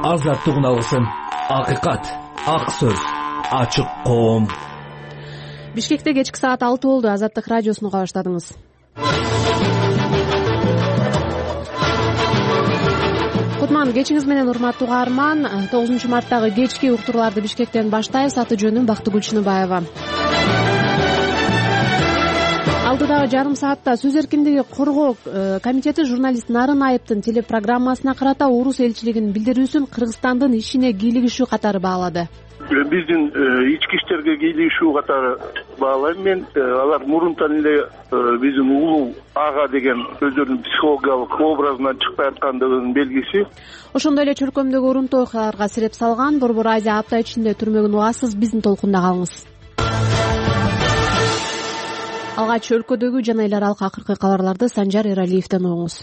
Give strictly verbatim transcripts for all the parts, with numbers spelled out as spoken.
азаттыгын алсын. Акыйкат, ак сөз, ачык коом. Бишкекте кечки саат алты болду. Азаттык радиосуну уга баштадыңыз. Кутман кечиңиз менен урматтуу угарман. тогузунчу марттагы кечки уктурууларды Бишкектен баштайбыз. Аты жөнүм Бактыгүл Чыныбаева. Алдыдагы жарым саатта Сөз эркиндиги коргоо комитети журналист Нарын Айыптын телепрограммасына карата орус элчилигинин билдирүүсүн Кыргызстандын ишине кийлигишүү катары баалады. Биздин ички иштерге кийлигишүү катары баалайм мен. Алар мурунтан эле биздин улуу ага деген өздөрүнүн психологиялык образынан чыкпай аткандыгынын белгиси. Ошондой эле чөлкөмдөгү урунтуу окуяларга сиреп салган Борбор Азия апта ичинде түрмөгүн угасыз. Биздин толкунда калыңыз. Алгач өлкөдөгү жана эл аралык акыркы кабарларды Санжар Эралиевден угуңуз.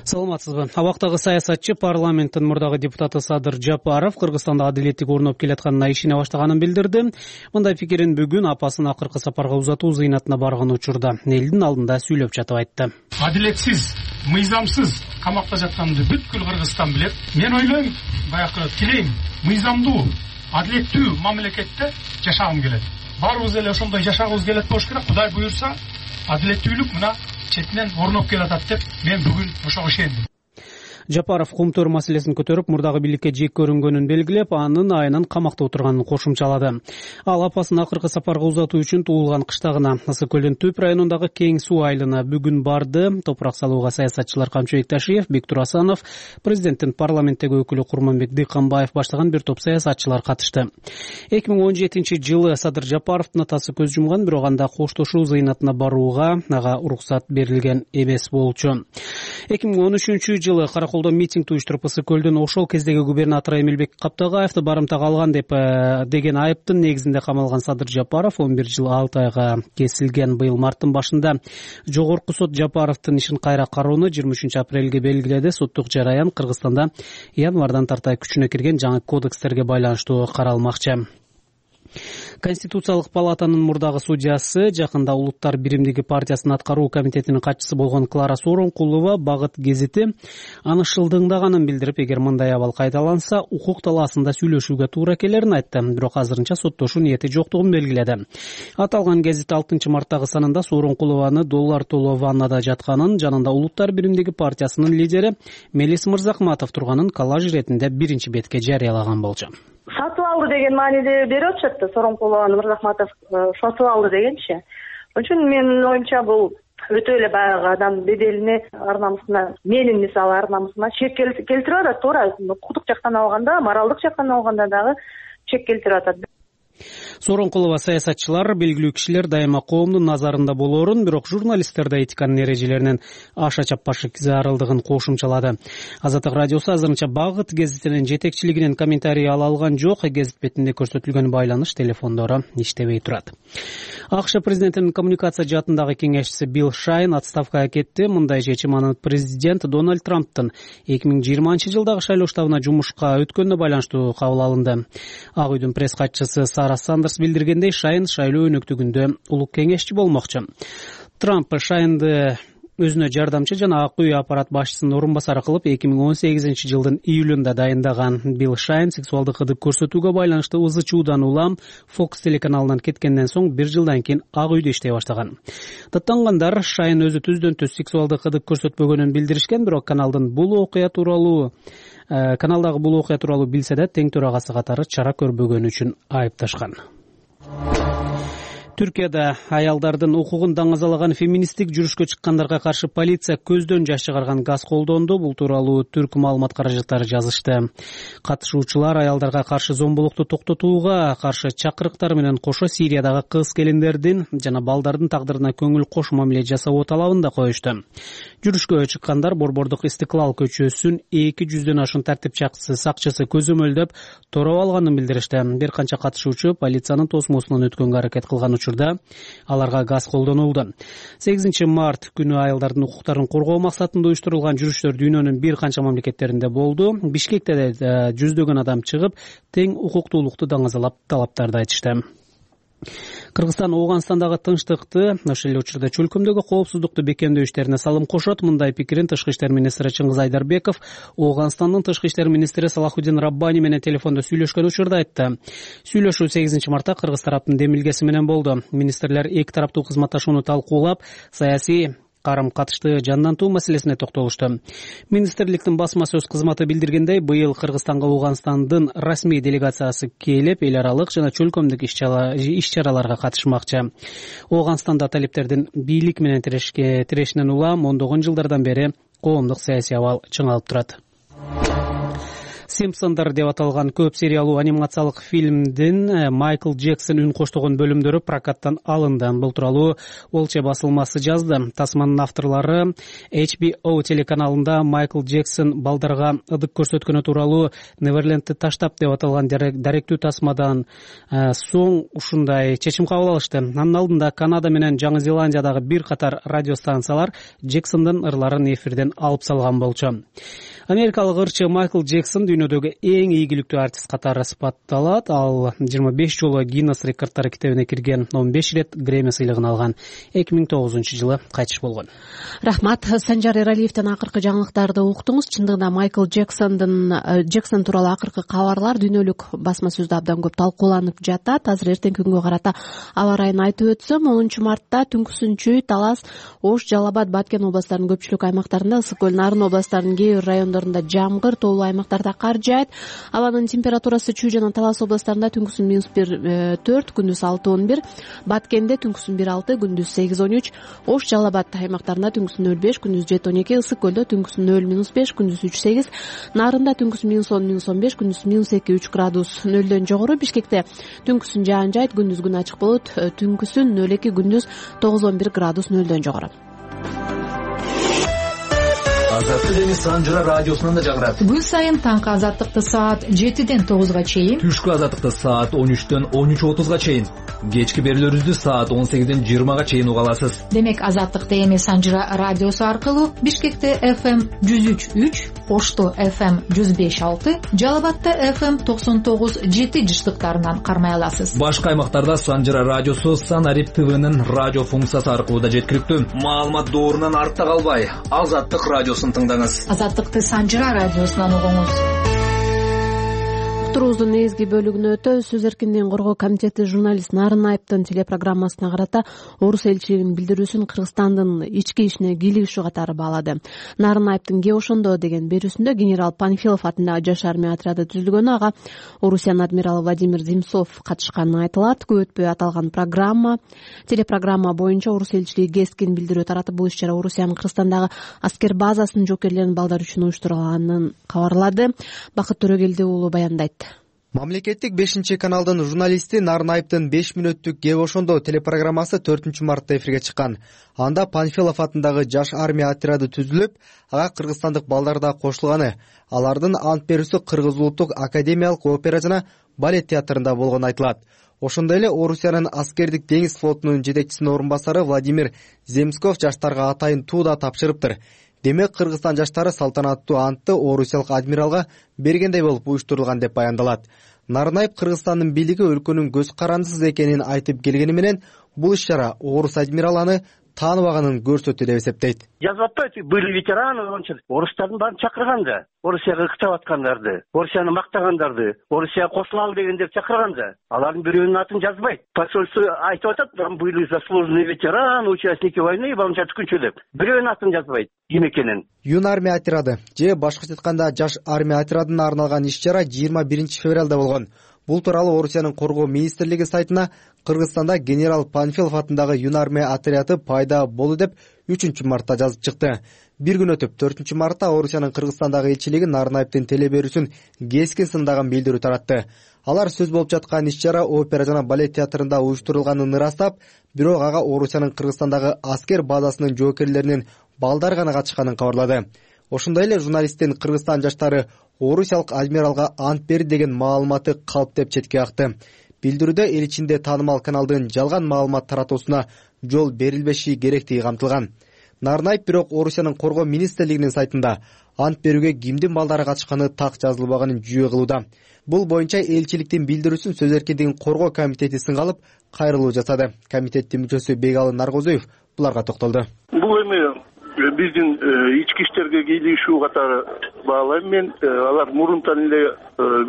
Саламатсызбы. Абактагы саясатчы парламенттин мурдагы депутаты Садыр Жапаров Кыргызстанда адилеттик орноп келатканына ишене баштаганын билдирди. Мындай пикирин бүгүн апасын акыркы сапарга узатуу зыйнатына барган учурда элдин алдында сүйлөп жатып айтты. Адилетсиз, мыйзамсыз камакта жатканымды бүткүл Кыргызстан билет. Мен ойлойм, баягы тилейм, мыйзамдуу, адилеттүү мамлекетте жашагым келет. Баарыбыз эле ошондой жашагыбыз келет болуш керек. Кудай буюрса, адилеттүүлүк мына четинен орноп келатат деп мен бүгүн ошого ишендим. Жапаров кумтөр маселесин көтөрүп, мурдагы бийликке жек көрүнгөнүн белгилеп, анын айынан камакта отурганын кошумчалады. Ал апасын акыркы сапарга узатуу үчүн туулган кыштагына, Ысык көлдүн Түп районундагы Кең суу айылына бүгүн барды. Топурак салууга саясатчылар Камчыбек Ташиев, Бектур Асанов, президенттин парламенттеги өкүлү Курманбек Дыйканбаев баштаган бир топ саясатчылар катышты. эки миң он жетинчи жылы Садыр Жапаровдун атасы көз жумган, бирок анда коштошуу зыйнатына барууга ага уруксат берилген эмес болчу. эки миң он үчүнчү жылы Караколдо митинг уюштуруп Ысык көлдүн ошол кездеги губернатору Эмилбек Каптагаевди барымтага алган деп деген айыптын негизинде камалган Садыр Жапаров он бир жыл алты айга кесилген. Быйыл марттын башында жогорку сот Жапаровдун ишин кайра кароону жыйырма үчүнчү апрелге белгиледи. Соттук жараян Кыргызстанда январдан тартай күчүнө кирген жаңы кодекстерге байланыштуу каралмакчы. Конституциялык палатанын мурдагы судьясы, жакында Улуттар биримдиги партиясынын аткаруу комитетинин катчысы болгон Клара Сооронкулова Багыт гезити аны шылдыңдаганын билдирип, эгер мындай абал кайталанса, укук талаасында сүйлөшүүгө туура келерин айтты. Бирок азырынча соттошуу ниети жоктугун белгиледи. Аталган гезит алтынчы марттагы санында Сооронкулованы доллар толоо ваннада жатканын, жанында Улуттар биримдиги партиясынын лидери Мелис Мырзахматов турганын коллаж иретинде биринчи бетке жарыялаган болчу. Сатып алды деген мааниде берип атышат. Сооронкулованы Мырзахматов сатып алды дегенчи. Ошон үчүн менин оюмча бул өтө эле баягы адам беделине, ар намысына, менин мисалы ар намысыма чек келтирип атат. Туура, укуктук жактан алганда, моралдык жактан алганда дагы чек келтирип атат. Сооронкулова саясатчылар, белгилүү кишилер дайыма коомдун назарында болоорун, бирок журналисттерде этиканын эрежелеринен аша чаппашы зарылдыгын кошумчалады. Азаттык радиосу азырынча Багыт гезитинин жетекчилигинен комментарий ала алган жок. Гезит бетинде көрсөтүлгөн байланыш телефондору иштебей турат. АКШ президентинин коммуникация жаатындагы кеңешчиси Билл Шайн отставкага кетти. Мындай чечим аны президент Дональд Трамптын эки миң жыйырманчы жылдагы шайлоо штабына жумушка өткөнүнө байланыштуу кабыл алынды. Ак үйдүн пресс катчысы Сара Сандерс билдиргендей, Шайн шайлоо өнөктүгүндө улук кеңешчи болмокчу. Трамп Шайнды өзүнө жардамчы жана Ак үй аппарат башчысынын орун басары кылып эки миң он сегизинчи жылдын июлунда дайындаган. Билл Шайн сексуалдык ырдык көрсөтүүгө байланыштуу ызы чуудан улам Fox телеканалынан кеткенден соң бир жылдан кийин Ак үйдө иштей баштаган. Даттангандар Шайн өзү түздөн түз сексуалдык ырдык көрсөтпөгөнүн билдиришкен, бирок каналдын бул окуя тууралуу каналдагы бул окуя тууралуу билсе да тең төрагасы катары чара көрбөгөнү үчүн айыпташкан. Түркияда аялдардын укугун даңазалаган феминисттик жүрүшкө чыккандарга каршы полиция көздөн жаш чыгарган газ колдонду. Бул тууралуу түрк маалымат каражаттары жазышты. Катышуучулар аялдарга каршы зомбулукту токтотууга каршы чакырыктар менен кошо Сириядагы кыз келиндердин жана балдардын тагдырына көңүл кош мамиле жасоо талабын да коюшту. Жүрүшкө чыккандар Борбордук Истиклал көчөсүн эки жүздөн ашуун тартипчакчысы сакчысы көзөмөлдөп тороп алганын билдиришти. Бир канча катышуучу полициянын тосмосунан өткөнгө аракет кылган учурда аларга газ колдонулду. сегизинчи март күнү аялдардын укуктарын коргоо максатында уюштурулган жүрүштөр дүйнөнүн бир канча мамлекеттеринде болду. Бишкекте да жүздөгөн адам чыгып, тең укуктуулукту даңазалап талаптарды айтышты. Кыргызстан Ооганстандагы тынчтыкты, ошол эле учурда чөлкөмдөгү коопсуздукту бекемдөө иштерине салым кошот. Мындай пикирин Тышкы иштер министри Чыңгыз Айдарбеков Ооганстандын Тышкы иштер министри Салахуддин Раббани менен телефондо сүйлөшкөн учурда айтты. Сүйлөшүү сегизинчи мартта Кыргыз тараптын демилгеси менен болду. Министрлер эки тараптуу кызматташууну талкуулап, саясий карым-катышты жандантуу маселесине токтолушту. Министрликтин басма сөз кызматы билдиргендей, быйыл Кыргызстанга Ооганстандын расмий делегациясы келип, эл аралык жана чөлкөмдүк иш-чараларга катышмакчы. Ооганстанда талептердин бийлик менен тирешинен улам ондогон жылдардан бери коомдук саясий абал чыңалып турат. Симпсондар деп аталган көп сериялуу анимациялык фильмдин Майкл Джексон үн коштогон бөлүмдөрү прокаттан алынды. Бул тууралуу Олче басылмасы жазды. Тасманын авторлору эйч би о телеканалында Майкл Джексон балдарга ыдык көрсөткөнү тууралуу Неверлендти таштап деп аталган даректүү тасмадан соң ушундай чечим кабыл алышты. Анын алдында Канада менен Жаңы Зеландиядагы бир катар радиостанциялар Джексондун ырларын эфирден алып салган болчу. Америкалык ырчы Майкл Джексон дүйнөдөгү эң ийгиликтүү артист катары сыпатталат. Ал жыйырма беш жолу Гиннес рекордтор китебине кирген, он беш ирет Грэмми сыйлыгын алган. эки миң тогузунчу жылы кайтыш болгон. Рахмат. Санжар Эралиевден акыркы жаңылыктарды уктуңуз. Чындыгында Майкл Джексондун Джексон тууралуу акыркы кабарлар дүйнөлүк басма сөздө абдан көп талкууланып жатат. Азыр эртеңки күнгө карата аба ырайын айтып өтсөм, онунчу мартта түнкүсүнчү Талас, Ош, Жалал Абад, Баткен областарынын көпчүлүк аймактарында, Ысык көл, Нарын областарынын кээ бир райондорунда жамгыр, тоолуу аймактарда кар жаайт. Абанын температурасы Чүй жана Талас областарында түнкүсүн минус бир төрт, күндүз алты он бир, Баткенде түнкүсүн бир алты, күндүз сегиз он үч, Ош, Жалал Абад аймактарында түнкүсүн нөл беш, күндүз жети он эки, Ысык көлдө түнкүсүн нөл минус беш, күндүз үч сегиз, Нарында түнкүсүн минус он минус он беш, күндүз минус эки үч градус нөлдөн жогору, Бишкекте түнкүсүн жаан жайт, күндүз күн ачык болот, түнкүсүн нөл эки, күндүз тогуз он бир градус нөлдөн жогору. Азаттык эми Санжыра радиосунан да жагырат. Күн сайын таңкы азаттыкты саат жетиден тогузга чейин, түшкү азаттыкты саат он үчтөн он үч отузга чейин, кечки берүүлөрүбүздү саат он сегизден жыйырмага чейин уга аласыз. Демек азаттыкты эми Санжыра радиосу аркылуу Бишкекте эф эм жүз үч үч, Ошто эф эм жүз беш алты, Жалал Абадта эф эм токсон тогуз жети жыштыктарынан кармай аласыз. Башка аймактарда Санжыра радиосу Санарип ТВнын радио функциясы аркылуу да жеткиликтүү. Маалымат доорунан артта калбай, Азаттык радиосун тыңдаңыз. Азаттыкты Санжыра радиосунан угуңуз. Турубуздун негизги бөлүгүнө өтөбүз. Сөз эркиндигин коргоо комитети журналист Нарын Айыптын телепрограммасына карата орус элчилигинин билдирүүсүн Кыргызстандын ички ишине кийлигишүү катары баалады. Нарын Айыптын «Кээ ошондо» деген берүүсүндө генерал Панфилов атындагы жаш армия отряды түзүлгөнү, ага Орусиянын адмиралы Владимир Земцов катышканы айтылат. Көп өтпөй аталган программа телепрограмма боюнча орус элчилиги кескин билдирүү таратып, бул иш-чара Орусиянын Кыргызстандагы аскер базасынын жоокерлеринин балдар үчүн уюштурулганын кабарлады. Бакыт Төрөгелди уулу баяндайт. Мамлекеттик бешинчи каналдын журналисти Нарын Айыптын беш мүнөттүк «Кээ ошондо» телепрограммасы төртүнчү мартта эфирге чыккан. Анда Панфилов атындагы жаш армия отряды түзүлүп, ага кыргызстандык балдар да кошулганы, алардын ант берүүсү Кыргыз улуттук академиялык опера жана балет театрында болгону айтылат. Ошондой эле Орусиянын аскердик деңиз флотунун жетекчисинин орун басары Владимир Земсков жаштарга атайын туу да тапшырыптыр. Демек Кыргызстан жаштары салтанаттуу антты орусиялык адмиралга бергендей болуп уюштурулган деп баяндалат. Нарын Айып Кыргызстандын бийлиги өлкөнүн көз карандысыз экенин айтып келгени менен, бул иш-чара орус адмираланы тааныбаганын көрсөттү деп эсептейт. Жазып атпайбы, были ветераны, орустардын баарын чакырган да, Орусияга кытап аткандарды, Орусияны мактагандарды, Орусияга кошулалы дегендер чакырган да. Алардын бирөөнүн атын жазбайт. Посольство айтып атат, были заслуженный ветеран, участники войны, балынча түкүнчө деп. Бирөөнүн атын жазбайт. Ким экенин. Юн армия отряды же башкача айтканда жаш армия отрядына арналган иш-чара жыйырма биринчи февралда болгон. Бул тууралуу Орусиянын коргоо министрлиги сайтына Кыргызстанда генерал Панфилов атындагы Юн армия отряды пайда болду деп үчүнчү мартта жазып чыкты. Бир күн өтүп төртүнчү мартта Орусиянын Кыргызстандагы элчилиги Нарын Айыптын телеберүүсүн кескин сындаган билдирүү таратты. Алар сөз болуп жаткан иш-чара опера жана балет театрында уюштурулганын ырастап, бирок ага Орусиянын Кыргызстандагы аскер базасынын жоокерлеринин балдар гана катышканын кабарлады. Ошондой эле журналисттин Кыргызстан жаштары орусиялык адмиралга ант берди деген маалыматы калптеп четке акты. Билдирүүдө эл ичинде таанымал каналдын жалган маалымат таратуусуна жол берилбеши керектиги камтылган. Нарнаев бирок Орусиянын коргоо министрлигинин сайтында ант берүүгө кимдин балдары катышканы так жазылбаганын жүйө кылууда. Бул боюнча элчиликтин билдирүүсүн сөз эркиндигин коргоо комитети сынга алып кайрылуу жасады. Комитеттин мүчөсү Бегалы Наргозуев буларга токтолду. Бул эми биздин ички иштерге кийлигишүү катары баалайм мен. Алар мурунтан эле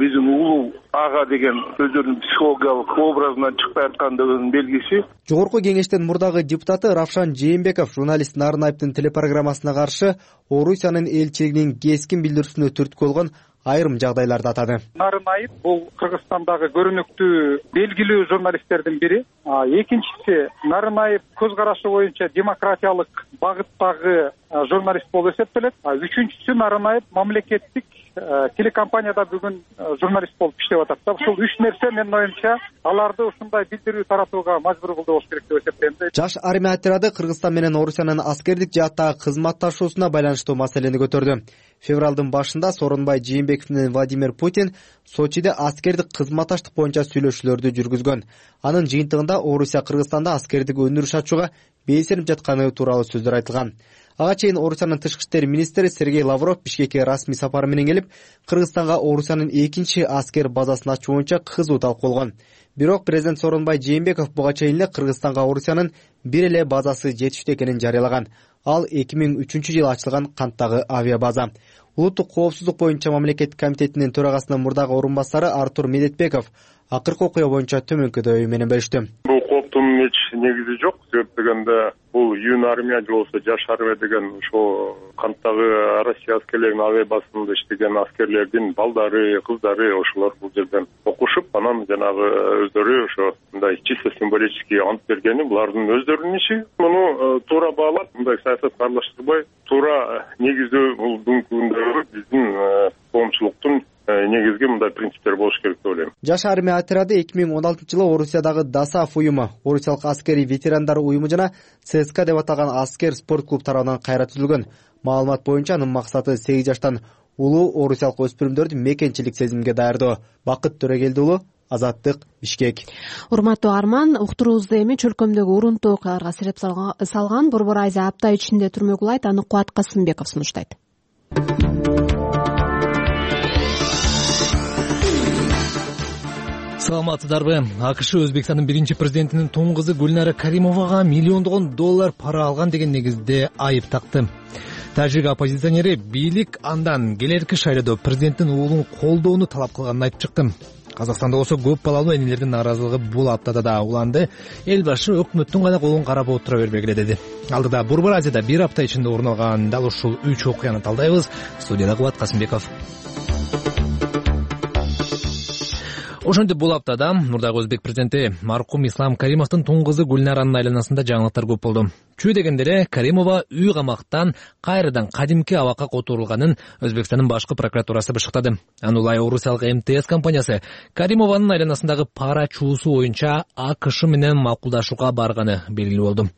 биздин улуу ага деген өздөрүнүн психологиялык образынан чыкпай аткандыгынын белгиси. Жогорку кеңештин мурдагы депутаты Равшан Жээнбеков журналист Нарнаевдин телепрограммасына каршы Орусиянын элчилигинин кескин билдирүүсүнө түрткү болгон айрым жагдайларды атады. Нарнаев бул Кыргызстандагы көрүнүктүү белгилүү журналисттердин бири. Экинчиси, Нарнаев көз карашы боюнча демократиялык багыттагы журналист болуп эсептелет. Үчүнчүсү, Нарнаев мамлекеттик телекомпанияда бүгүн журналист болуп иштеп атат. Ушул үч нерсе менин оюмча аларды ушундай билдирүү таратууга мажбур кылды болуш керек деп эсептейм. Жаш армия отряды Кыргызстан менен Орусиянын аскердик жааттагы кызматташуусуна байланыштуу маселени көтөрдү. Февралдын башында Сооронбай Жээнбеков менен Владимир Путин Сочиде аскердик кызматташтык боюнча сүйлөшүүлөрдү жүргүзгөн. Анын жыйынтыгында Орусия Кыргызстанда аскердик өндүрүш ачууга белсенип жатканы тууралуу сөздөр айтылган. Ага чейин Орусиянын тышкы иштер министри Сергей Лавров Бишкекке расмий сапары менен келип, Кыргызстанга Орусиянын экинчи аскер базасын ачуу боюнча кызуу талкуулгон. Бирок президент Сооронбай Жээнбеков буга чейин эле Кыргызстанга Орусиянын бир эле базасы жетиштүү экенин жарыялаган. Ал эки миң үчүнчү жылы ачылган Канттагы авиабаза. Улуттук коопсуздук боюнча мамлекеттик комитетинин төрагасынын мурдагы орун басары Артур Медетбеков акыркы окуя боюнча төмөнкү ою менен беришти. Бул кооптун эч негизи жок. Себеп дегенде бул юн армия же болбосо жаш армия деген ошо Канттагы Россия аскерлеринин авиабазасында иштеген аскерлердин балдары, кыздары ошолор бул жерден окушуп, анан жанагы өздөрү ошо мындай чисто символический ант бергени булардын өздөрүнүн иши. Муну туура баалап, мындай саясатка аралаштырбай, туура негиздөө бул бүгүнкү күндөгү биздин коомчулуктун негизги мындай принциптер болуш керек деп ойлойм. Жаш армия отряды эки миң он алтынчы жылы Орусиядагы ДАСАФ уюму, Орусиялык аскери ветерандар уюму жана ЦСКА деп аталган аскер спорт клуб тарабынан кайра түзүлгөн. Маалымат боюнча анын максаты сегиз жаштан улуу орусиялык өспүрүмдөрдү мекенчилик сезимге даярдоо. Бакыт Төрөгелди уулу, Азаттык, Бишкек. Урматтуу Арман, уктуруубузду эми чөлкөмдөгү урунтуу окуяларга сереп салган Борбор Айза апта ичинде түрмөгү улайт, аны Кубат Касымбеков сунуштайт. Саламатсыздарбы? АКШ Өзбекстандын биринчи президентинин тоң кызы Гүлнара Каримовага миллиондогон доллар пара алган деген негизде айып такты. Тажик оппозиционери бийлик андан келерки шайлоодо президенттин уулун колдоону талап кылганын айтып чыкты. Казакстанда болсо көп балалуу энелердин нааразылыгы бул аптада да уланды. Эл башы өкмөттүн гана колун карап отура бербегиле деди. Алдыда Борбор Азияда бир апта ичинде орун алган дал ушул үч окуяны талдайбыз. Студияда Кубат Касымбеков. Ошентип бул аптада мурдагы өзбек президенти маркум Ислам Каримовдун тоң кызы Гүлнаранын айланасында жаңылыктар көп болду. Чүй дегенде эле Каримова үй камактан кайрадан кадимки абакка которулганын Өзбекстандын башкы прокуратурасы бышыктады. Анулай Орусиялык эм тэ эс компаниясы Каримованын айланасындагы пара чуусу боюнча АКШ менен макулдашууга барганы белгилүү болду.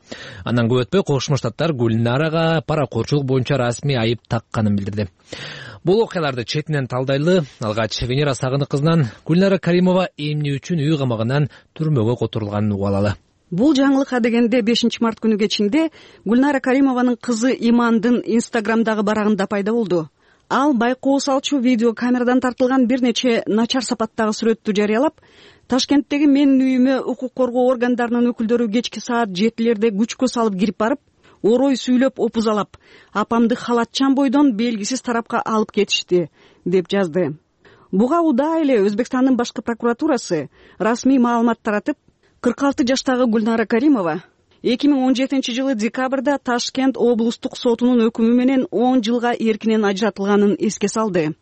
Андан көп өтпөй Кошмо Штаттар Гүлнарага паракорчулук боюнча расмий айып такканын билдирди. Бул окуяларды четинен талдайлы. Алгач Венера Сагынык кызынан Гүлнара Каримова эмне үчүн үй камагынан түрмөгө которулганын угуп. Бул жаңылыкка дегенде бешинчи март күнү кечинде Гүлнара Каримованын кызы Имандын Инстаграмдагы барагында пайда болду. Ал байкоо салчу видео камерадан тартылган бир нече начар сапаттагы сүрөттү жарыялап, Ташкенттеги менин үйүмө укук коргоо органдарынын өкүлдөрү кечки саат жетилерде күчкө салып кирип барып, орой сүйлөп опузалап, апамды халатчан бойдон белгисиз тарапка алып кетишти, деп жазды. Буга удаа эле Өзбекстандын башкы прокуратурасы расмий маалымат таратып, кырк алты жаштагы Гүлнара Каримова эки миң он жетинчи жылы декабрда Ташкент облустук сотунун өкүмү менен он жылга эркинен ажыратылганын эске салды.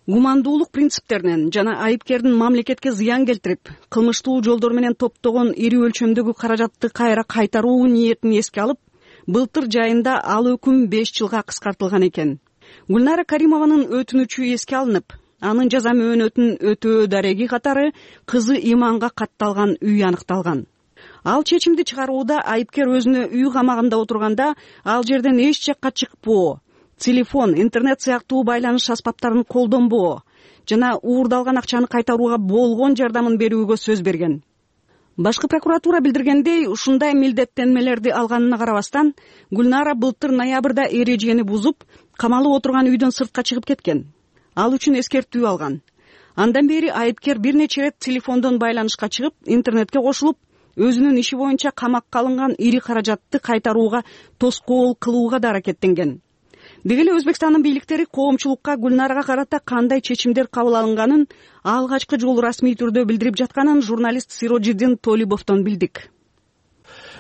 Гумандуулук принциптеринен жана айыпкердин мамлекетке зыян келтирип, кылмыштуу жолдор менен топтогон ири өлчөмдөгү каражатты кайра кайтаруу ниетин эске алып, былтыр жайында ал өкүм беш жылга кыскартылган экен. Гүлнара Каримованын өтүнүчү эске алынып, анын жаза мөөнөтүн өтөө дареги катары кызы Иманга катталган үй аныкталган. Ал чечимди чыгарууда айыпкер өзүнө үй камагында отурганда ал жерден эч жакка чыкпоо, телефон, интернет сыяктуу байланыш аспаптарын колдонбоо жана уурдалган акчаны кайтарууга болгон жардамын берүүгө сөз берген. башкы прокуратура билдиргендей, ушундай милдеттенмелерди алганына карабастан Гүлнара былтыр ноябрда эрежени бузуп, камалып отурган үйдөн сыртка чыгып кеткен. Ал үчүн эскертүү алган. Андан бери айыпкер бир нече рет телефондон байланышка чыгып, интернетке кошулуп, өзүнүн иши боюнча камакка алынган ири каражатты кайтарууга тоскоол кылууга да аракеттенген. Деги эле Өзбекстандын бийликтери коомчулукка Гүлнарага карата кандай чечимдер кабыл алынганын алгачкы жолу расмий түрдө билдирип жатканын журналист Сироджиддин Толибовдон билдик.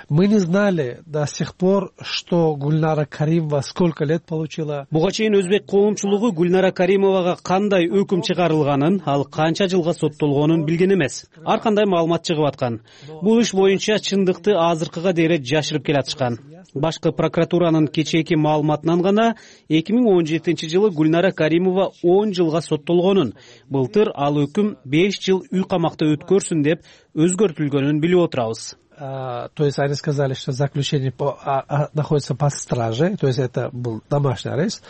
Мы не знали до сих пор, что Гульнара Каримова сколько лет получила. Буга чейин өзбек коомчулугу Гүлнара Каримовага кандай өкүм чыгарылганын, ал канча жылга соттолгонун билген эмес. Ар кандай маалымат чыгып аткан. Бул иш боюнча чындыкты азыркыга дейре жашырып келатышкан. Башкы прокуратуранын кечээки маалыматынан гана эки миң он жетинчи жылы Гүлнара Каримова он жылга соттолгонун, былтыр ал өкүм беш жыл үй камакта өткөрсүн деп өзгөртүлгөнүн билип отурабыз. То есть они сказали, что заключение по, а, а, находится под стражей, то есть это был домашний арест.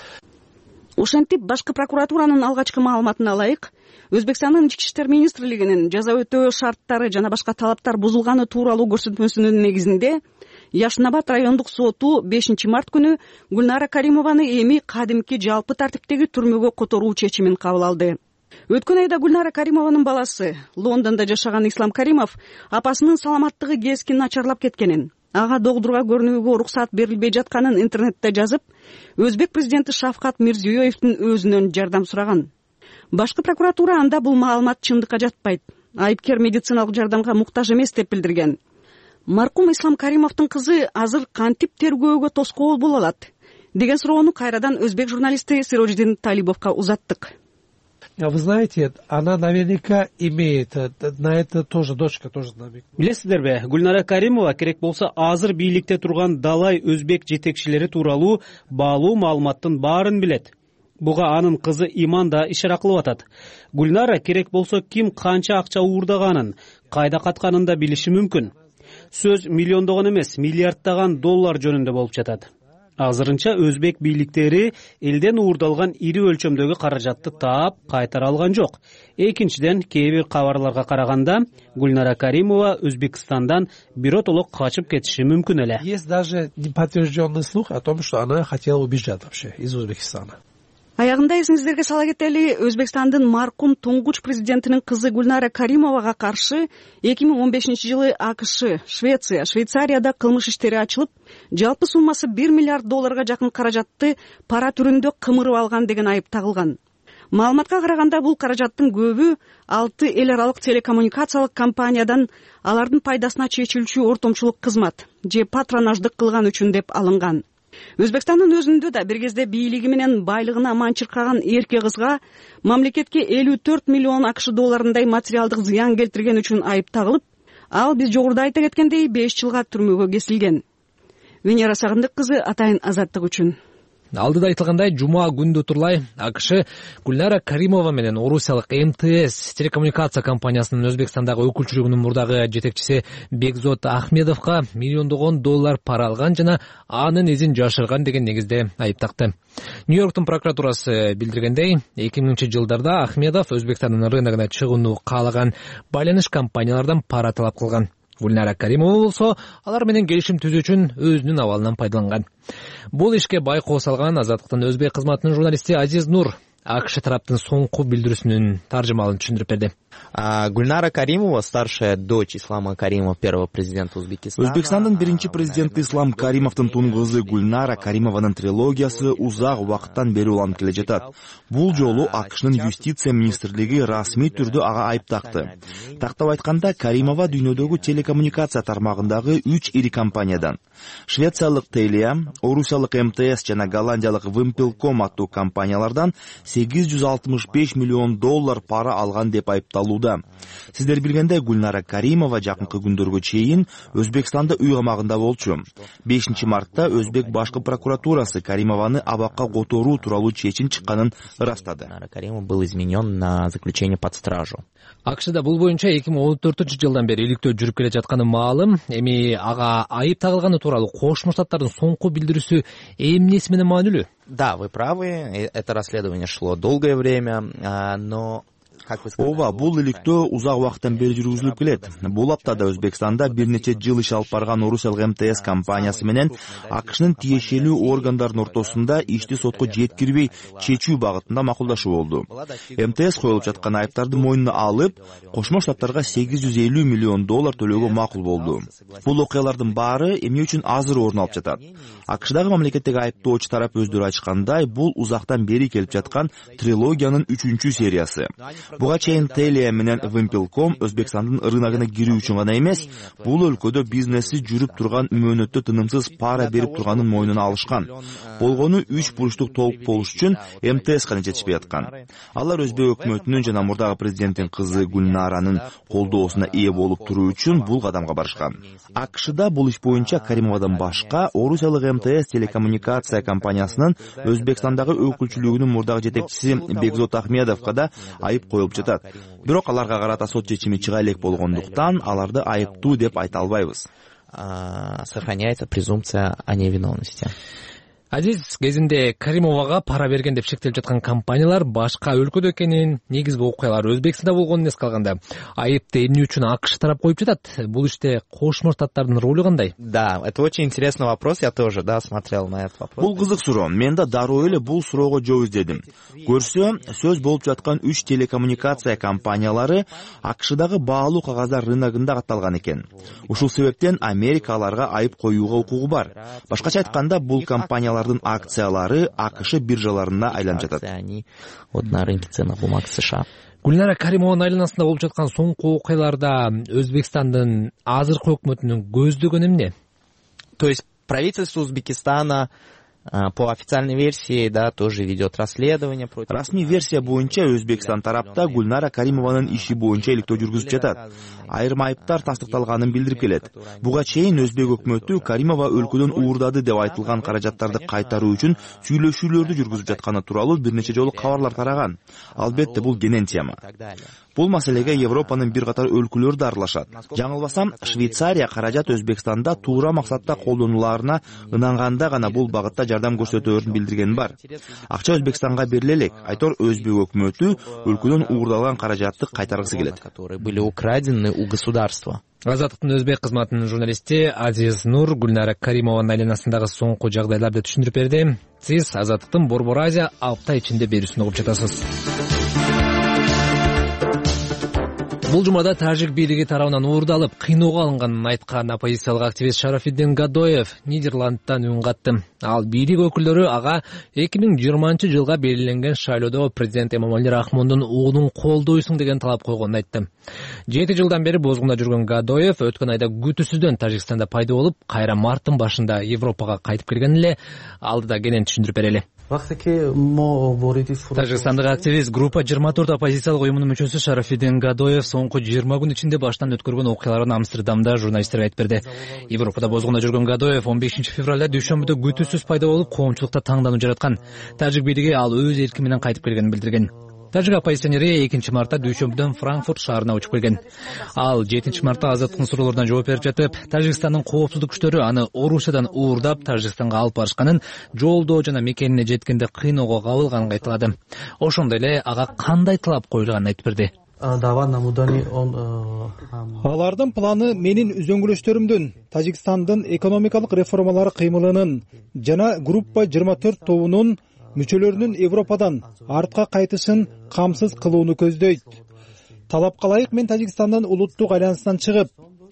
Ошентип башкы прокуратуранын алгачкы маалыматына ылайык, Өзбекстандын ички иштер министрлигинин жаза өтөө шарттары жана башка талаптар бузулганы тууралуу көрсөтмөсүнүн негизинде Яшнабад райондук соту бешинчи март күнү Гүлнара Каримованы эми кадимки жалпы тартиптеги түрмөгө которуу чечимин кабыл алды. Өткөн айда Гүлнара Каримованын баласы, Лондондо жашаган Ислам Каримов, апасынын саламаттыгы кескин начарлап кеткенин, ага догдурга көрүнүүгө уруксат берилбей жатканын интернетте жазып, Өзбек президенти Шавкат Мирзиёевдин өзүнөн жардам сураган. Башкы прокуратура анда бул маалымат чындыкка жатпайт, айыпкер медициналык жардамга муктаж эмес деп билдирген. Маркум Ислам Каримовдун кызы азыр кантип тергөөгө тоскоол боло алат деген суроону кайрадан өзбек журналисти Сироджиддин Толибовго узаттык. Вы знаете, она наверняка имеет, на это тоже дочка тоже намек. Билесиздерби, Гүлнара Каримова керек болсо азыр бийликте турган далай өзбек жетекчилери тууралуу баалуу маалыматтын баарын билет. Буга анын кызы Иман да ишара кылып атат. Гүлнара керек болсо ким канча акча уурдаганын, кайда катканын да билиши мүмкүн. Сөз миллиондогон эмес, миллиарддаган доллар жөнүндө болуп жатат. Азырынча өзбек бийликтери элден уурдалган ири өлчөмдөгү каражатты таап кайтара алган жок. Экинчиден, кээ бир кабарларга караганда, Гүлнара Каримова Өзбекстандан биротоло качып кетиши мүмкүн эле. Есть даже неподтвержденный слух о том, что она хотела убежать вообще из Узбекистана. Аягында эсиңиздерге сала кетели, Өзбекстандын маркум туңгуч президентинин кызы Гүлнара Каримовага каршы эки миң он бешинчи жылы АКШ, Швеция, Швейцарияда кылмыш иштери ачылып, жалпы суммасы бир миллиард долларга жакын каражатты пара түрүндө кымырып алган деген айып тагылган. Маалыматка караганда бул каражаттын көбү алты эл аралык телекоммуникациялык компаниядан алардын пайдасына чечилчү ортомчулук кызмат же патронаждык кылган үчүн деп алынган. Өзбекстандын өзүндө да бир кезде бийлиги менен байлыгына ман чыркаган эрке кызга мамлекетке элүү төрт миллион АКШ долларындай материалдык зыян келтирген үчүн айып тагылып, ал биз жогоруда айта кеткендей беш жылга түрмөгө кесилген. Венера Сагындык кызы Атайын азаттык үчүн. Алдыда айтылгандай, жума күндү турлай АКШ Гүлнара Каримова менен орусиялык эм тэ эс телекоммуникация компаниясынын Өзбекстандагы өкүлчүлүгүнүн мурдагы жетекчиси Бекзот Ахмедовго миллиондогон доллар пара алган жана анын изин жашырган деген негизде айып такты. Нью-Йорктун прокуратурасы билдиргендей, эки миңинчи жылдарда Ахмедов Өзбекстандын рыногуна чыгууну каалаган байланыш компаниялардан пара талап кылган. Гүлнара Каримова болсо алар менен келишим түзүү үчүн өзүнүн абалынан пайдаланган. Бул ишке байкоо салган Азаттыктын өзбек кызматынын журналисти Азиз Нур АКШ тараптын соңку билдирүүсүнүн таржымалын түшүндүрүп берди. Гүлнара Каримова, старшая дочь Ислама Каримова, первого президента Узбекистана. Өзбекстандын биринчи президенти Ислам Каримовдун тун кызы Гүлнара Каримованын трилогиясы узак убакыттан бери уланып келе жатат. Бул жолу АКШнын юстиция министрлиги расмий түрдө ага айып такты. Тактап айтканда, Каримова дүйнөдөгү телекоммуникация тармагындагы үч ири компаниядан швециялык Telia, орусиялык эм тэ эс жана голландиялык Wimpelcom аттуу компаниялардан сегиз жүз алтымыш беш миллион доллар пара алган деп айыпталууда. Сиздер билгендей, Гүлнара Каримова жакынкы күндөргө чейин Өзбекстанда үй камагында болчу. бешинчи мартта Өзбек башкы прокуратурасы Каримованы абакка которуу тууралуу чечим чыкканын ырастады. Каримов был изменен на заключение под стражу. АКШда бул боюнча эки миң он төртүнчү жылдан бери иликтөө жүрүп келе жатканы маалым. Эми ага айып тагылганы тууралуу Кошмо Штаттардын соңку билдирүүсү эмнеси менен маанилүү? Да, вы правы, это расследование шло долгое время, но ооба, бул иликтөө узак убакыттан бери жүргүзүлүп келет. Бул аптада Өзбекстанда бир нече жыл иш алып барган орусиялык эм тэ эс компаниясы менен АКШнын тиешелүү органдарынын ортосунда ишти сотко жеткирбей чечүү багытында макулдашуу болду. эм тэ эс коюлуп жаткан айыптарды мойнуна алып, Кошмо Штаттарга сегиз жүз элүү миллион доллар төлөөгө макул болду. Бул окуялардын баары эмне үчүн азыр орун алып жатат? АКШдагы мамлекеттеги айыптоочу тарап өздөрү айтышкандай, бул узактан бери келип жаткан трилогиянын үчүнчү сериясы. Буга чейин Telia менен Wimpel.com Өзбекстандын рыногуна кирүү үчүн гана эмес, бул өлкөдө бизнеси жүрүп турган мөөнөттө тынымсыз пара берип турганын мойнуна алышкан. Болгону үч бурчтук толук болуш үчүн эм тэ эс гана жетишпей аткан. Алар Өзбек өкмөтүнүн жана мурдагы президенттин кызы Гульнаранын колдоосуна ээ болуп туруу үчүн бул кадамга барышкан. АКШда бул иш боюнча Каримовадан башка орусиялык эм тэ эс телекоммуникация компаниясынын Өзбекстандагы өкүлчүлүгүнүн мурдагы жетекчиси Бекзот Ахмедовго да айып коюлуп жатат. Бирок аларга карата сот чечими чыга элек болгондуктан аларды айыптуу деп айта албайбыз. Сохраняется презумпция о невиновности. Азиз, кезинде Каримовага пара берген деп шектелип жаткан компаниялар башка өлкөдө экенин, негизги окуялар Өзбекстанда болгонун эске алганда, айыпты эмне үчүн АКШ тарап коюп жатат? Бул иште Кошмо Штаттардын ролу кандай? Да, это очень интересный вопрос, я тоже, да, смотрел на этот вопрос. Бул кызык суроо. Мен да дароо эле бул суроого жооп издедим. Көрсө, сөз болуп жаткан үч телекоммуникация компаниялары АКШдагы баалуу кагаздар рыногунда катталган экен. Ушул себептен Америка аларга айып коюуга укугу бар. Башкача айтканда, бул компаниялар акциялары АКШ биржаларына айланып жатат. Они вот на рынке ценных бумаг США. Гульнара Каримованын айланасында болуп жаткан соңку окуяларда Өзбекстандын азыркы өкмөтүнүн көздөгөнү эмне? То есть правительство Узбекистана по официальной версии, да, тоже ведет расследование против. Расмий версия боюнча Өзбекстан тарапта Гульнара Каримованын иши боюнча иликтөө жүргүзүп жатат. Айрым айыптар тастыкталганын билдирип келет. Буга чейин Өзбек өкмөтү Каримова өлкөдөн уурдады деп айтылган каражаттарды кайтаруу үчүн сүйлөшүүлөрдү жүргүзүп жатканы тууралуу бир нече жолу кабарлар тараган. Албетте бул кенен тема. Бул маселеге Европанын бир катар өлкөлөрү да аралашат. Жаңылбасам, Швейцария каражат Өзбекстанда туура максатта колдонуларына ынанганда гана бул багытта жардам көрсөтөөрүн билдиргени бар. Акча Өзбекстанга бериле элек. Айтор Өзбек өкмөтү өлкөдөн уурдалган каражатты кайтаргысы келет. Были украдены у государства. Азаттыктын Өзбек кызматынын журналисти Азиз Нур Гульнара Каримованын айланасындагы соңку жагдайларды түшүндүрүп берди. Сиз Азаттыктын Борбор Азия апта ичинде берүүсүн угуп жатасыз. Бул жумада тажик бийлиги тарабынан уурдалып, кыйноого алынганын айткан оппозициялык активист Шарафиддин Гадоев Нидерландтан үн катты. Ал бийлик өкүлдөрү ага эки миң жыйырманчы жылга белгиленген шайлоодо президент Эмомали Рахмондун уулун колдойсуң деген талап койгонун айтты. Жети жылдан бери бозгунда жүргөн Гадоев өткөн айда күтүүсүздөн Тажикстанда пайда болуп, кайра марттын башында Европага кайтып келген эле. Алдыда кенен түшүндүрүп берели. Тажикстандык активист группа жыйырма төрт оппозициялык уюмунун мүчөсү Шарафиддин Гадоев соңку жыйырма күн ичинде баштан өткөргөн окуяларын Амстердамда журналисттерге айтып берди. Европада бозгунда жүргөн Гадоев он бешинчи февралда дүйшөмбүдө күтүүсүз пайда болуп, коомчулукта таңдануу жараткан. Тажик бийлиги ал өз эрки менен кайтып келгенин билдирген. Тажик оппозиционери экинчи мартта дүйшөмбүдөн Франкфурт шаарына учуп келген. Ал жетинчи мартта Азаттыктын суроолоруна жооп берип жатып, Тажикстандын коопсуздук күчтөрү аны Орусиядан уурдап Тажикстанга алып барышканын, жолдо жана мекенине жеткенде кыйноого кабылганын айтылады. Ошондой эле ага кандай талап коюлганын айтып берди. Алардын планы менин үзөңгүлөштөрүмдүн, Тажикстандын экономикалык реформалары кыймылынын жана группа жыйырма төрт тобунун мүчөлөрүнүн Европадан артка кайтышын камсыз кылууну көздөйт. Талапка ылайык мен Тажикстандын улуттук айланысынан чыгып,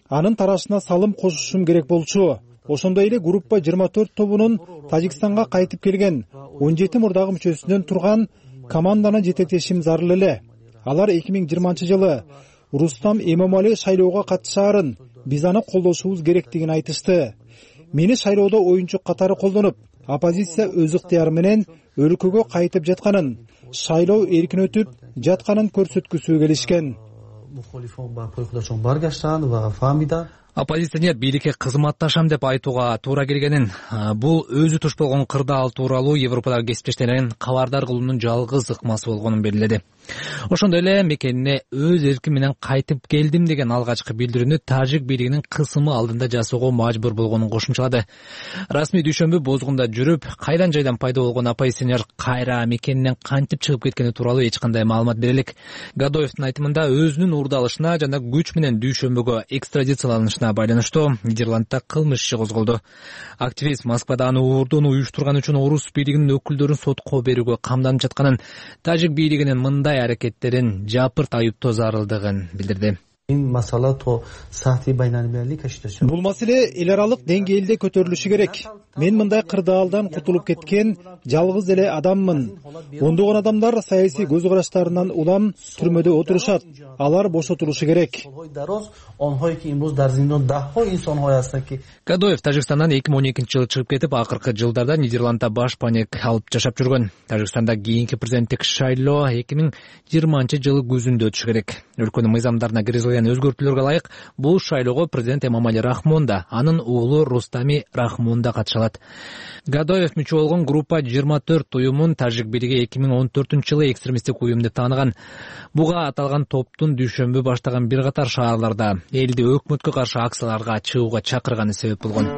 анын тарашына салым кошушум керек болчу. Ошондой эле группа жыйырма төрт тобунун Тажикстанга кайтып келген он жети мурдагы мүчөсүнөн турган команданы жетектешим зарыл эле. Алар эки миң жыйырманчы жылы Рустам Эмомали шайлоого катышаарын, биз аны колдошубуз керектигин айтышты. Мени шайлоодо оюнчу катары колдонуп, оппозиция өз ыктыяры менен өлкөгө кайтып жатканын, шайлоо эркин өтүп жатканын көрсөткүсү келишкен. Оппозиционер бийликке кызматташам деп айтууга туура келгенин, бул өзү туш болгон кырдаал тууралуу Европадагы кесиптештерин кабардар кылуунун жалгыз ыкмасы болгонун белгиледи. Ошондой эле мекенине өз эрким менен кайтып келдим деген алгачкы билдирүүнү тажик бийлигинин кысымы алдында жасоого мажбур болгонун кошумчалады. Расмий дүйшөмбү Бозгунда жүрүп, кайдан жайдан пайда болгон оппозиционер кайра мекенинен кантип чыгып кеткени тууралуу эч кандай маалымат бере элек. Гадоевдин айтымында өзүнүн уурдалышына жана күч менен дүйшөмбөгө экстрадицияланышына байланыштуу Нидерландда кылмыш иши козголду. Активист Москвада аны уурдоону уюштурган үчүн орус бийлигинин өкүлдөрүн сотко берүүгө камданып жатканын, тажик бийлигинин мындай аракеттерин жапырт айыптоо зарылдыгын билдирди. Бул маселе эл аралык деңгээлде көтөрүлүшү керек. Мен мындай кырдаалдан кутулуп кеткен жалгыз эле адаммын. Ондогон адамдар саясий көз караштарынан улам түрмөдө отурушат. Алар бошотулушу керек. Гадоев Тажикстандан эки миң он экинчи жылы чыгып кетип, акыркы жылдарда Нидерландда баш паник алып жашап жүргөн. Тажикстанда кийинки президенттик шайлоо эки миң жыйырманчы жылы күзүндө өтүшү керек. Өлкөнүн мыйзамдарына киргизилген өзгөртүүлөргө ылайык бул шайлоого президент Эмомали Рахмон да, анын уулу Рустами Рахмон да катышалат. Гадоев мүчө болгон группа жыйырма төрт уюмун тажик бийлиги эки миң он төртүнчү жылы экстремисттик уюм деп тааныган. Буга аталган топтун дүйшөмбү баштаган бир катар шаарларда элди өкмөткө каршы акцияларга чыгууга чакырганы себеп болгон.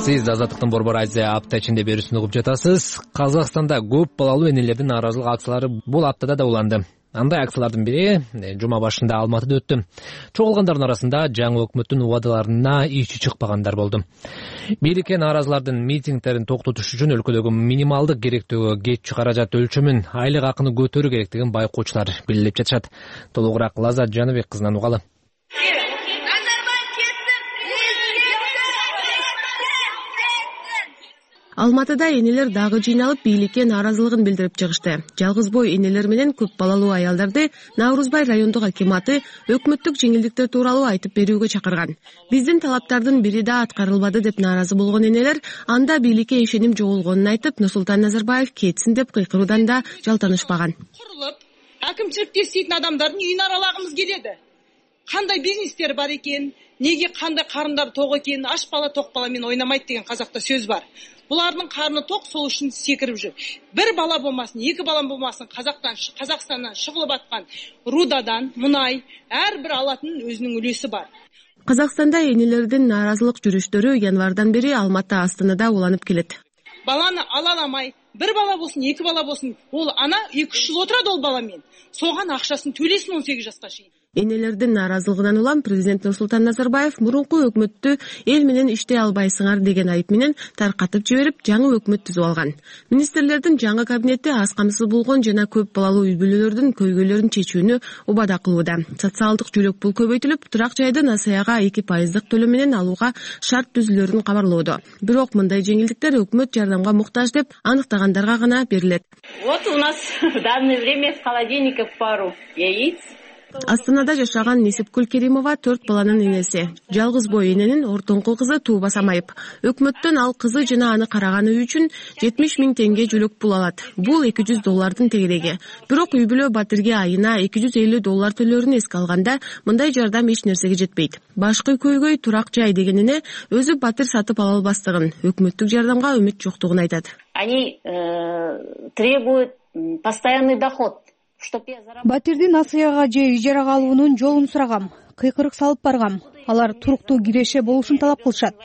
Сиз Азаттыктын Борбор Азия апта ичинде берүүсүн угуп жатасыз. Казакстанда көп балалуу энелердин нааразылык акциялары бул аптада да уланды. Андай акциялардын бири жума башында Алматыда өттү. Чогулгандардын арасында жаңы өкмөттүн убадаларына ичи чыкпагандар болду. Бийликке нааразылардын митингдерин токтотуш үчүн өлкөдөгү минималдык керектөөгө кетчү каражат өлчөмүн, айлык акыны көтөрүү керектигин байкоочулар белгилеп жатышат. Толугураак Лазат Жаныбек кызынан угалы. Алматыда энелер дагы жыйналып бийликке нааразылыгын билдирип чыгышты. Жалгыз бой энелер менен көп балалуу аялдарды Наурузбай райондук акиматы өкмөттүк жеңилдиктер тууралуу айтып берүүгө чакырган. Биздин талаптардын бири да аткарылбады деп нааразы болгон энелер анда бийликке ишеним жоголгонун айтып, Нурсултан Назарбаев кетсин деп кыйкыруудан да жалтанышпаган. Курулуп, акимчиликте иштейтин адамдардын үйүн аралагымыз келеди. Кандай бизнестер бар экен, неге кандай карындар ток экен, аш бала ток бала мен ойнамайт деген казакта сөз бар. Булардын карны ток, сол үчүн секирип жүр. Бир бала болмасын, эки бала болмасын, Казактан, Казакстандан чыгылып аткан рудадан мунай ар бир алатын өзүнүн үлөсү бар. Казакстанда энелердин нааразылык жүрүштөрү январдан бери Алматы Астанада уланып келет. Баланы ала аламай, бир бала болсун, эки бала болсун, ол ана эки үч жыл отурат ол бала менен. Соган акчасын төлөсүн он сегиз жашка чейин. Энелердин нааразылыгынан улам президент Нурсултан Назарбаев мурунку өкмөттү эл менен иштей албайсыңар деген айып менен таркатып жиберип, жаңы өкмөт түзүп алган. Министрлердин жаңы кабинети аз камсыз болгон жана көп балалуу үй бүлөлөрдүн көйгөйлөрүн чечүүнү убада кылууда. Социалдык жөлөк пул көбөйтүлүп, турак жайды насыяга эки пайыздык төлөм менен алууга шарт түзүлөрүн кабарлоодо. Бирок мындай жеңилдиктер өкмөт жардамга муктаж деп аныктагандарга гана берилет. Вот у нас в данное время из холодильников пару яиц. Астанада жашаган Несипкүл Керимова төрт баланын энеси. Жалгыз бой эненин ортоңку кызы тууба самайып. Өкмөттөн ал кызы жана аны караганы үчүн жетимиш миң теңге жөлөк пул алат. Бул эки жүз доллардын тегереги. Бирок үй бүлө Батирге айына эки жүз элүү доллар төлөөрүн эске алганда, мындай жардам эч нерсеге жетпейт. Башкы көйгөй турак жай дегенине өзү Батир сатып ала албастыгын, өкмөттүк жардамга үмүт жоктугун айтат. Они требуют постоянный доход. Батирди насыяга же ижарага алуунун жолун сурагам. Кыйкырык салып баргам. Алар туруктуу киреше болушун талап кылышат.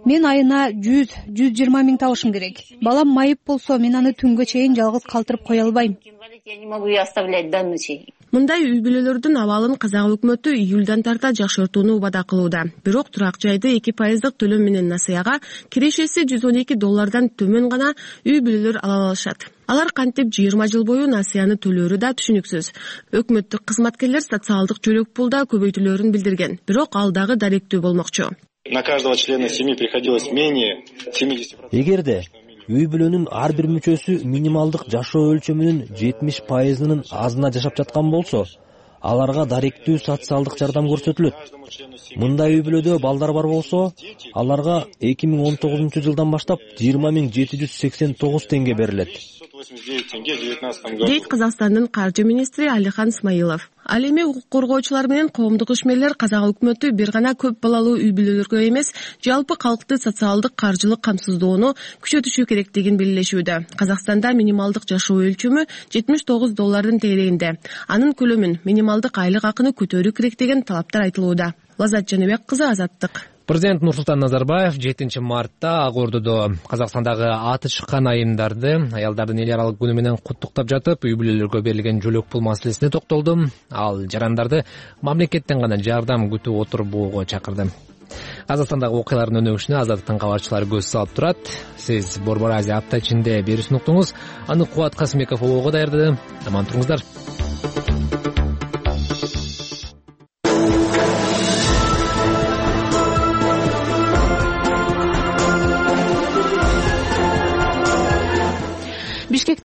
Мен айына жүз жүз жыйырма миң табышым керек. Балам майып болсо, мен аны түнгө чейин жалгыз калтырып кое албайм. Я не могу ее оставлять до ночи. Мындай үй бүлөлөрдүн абалын казак өкмөтү июлдан тарта жакшыртууну убада кылууда. Бирок турак жайды эки пайыздык төлөм менен насыяга кирешеси жүз он эки доллардан төмөн гана үй бүлөлөр ала алышат. Алар кантип жыйырма жыл бою насыяны төлөөрү да түшүнүксүз. Өкмөттүк кызматкерлер социалдык жөлөк пулда көбөйтүлөөрүн билдирген. Бирок ал дагы даректүү болмокчу. На каждого члена семьи приходилось менее семидесяти процентов. Эгерде үй бүлөнүн ар бир мүчөсү минималдык жашоо өлчөмүнүн жетимиш пайызынын азына жашап жаткан болсо, аларга даректүү социалдык жардам көрсөтүлөт. Мындай үй бүлөдө балдар бар болсо, аларга эки миң он тогузунчу жылдан баштап жыйырма миң жети жүз сексен тогуз теңге берилет. восемьдесят девять тенге в две тысячи девятнадцатом году дейт Казакстандын каржы министри Алихан Исмаилов. Ал эми укук коргоочулар менен коомдук ишмерлер казак өкмөтү бир гана көп балалуу үй бүлөлөргө эмес, жалпы калкты социалдык каржылык камсыздоону күчөтүшү керектигин белгилешүүдө. Казакстанда минималдык жашоо өлчөмү жетимиш тогуз доллардын тегерегинде. Анын көлөмүн, минималдык айлык акыны көтөрүү керек деген талаптар айтылууда. Лазат Жаныбек кызы, Азаттык. Президент Нурсултан Назарбаев жетинчи мартта Ак Ордодо Казакстандагы аты чыккан айымдарды аялдардын эл аралык күнү менен куттуктап жатып, үй бүлөлөргө берилген жөлөк пул маселесине токтолду. Ал жарандарды мамлекеттен гана жардам күтүп отурбоого чакырды. Казакстандагы окуялардын өнүгүшүнө Азаттыктын кабарчылары көз салып турат. Сиз Борбор Азия апта ичинде берүүсүн уктуңуз. Аны Кубат Касымбеков ого даярдады. Аман туруңуздар.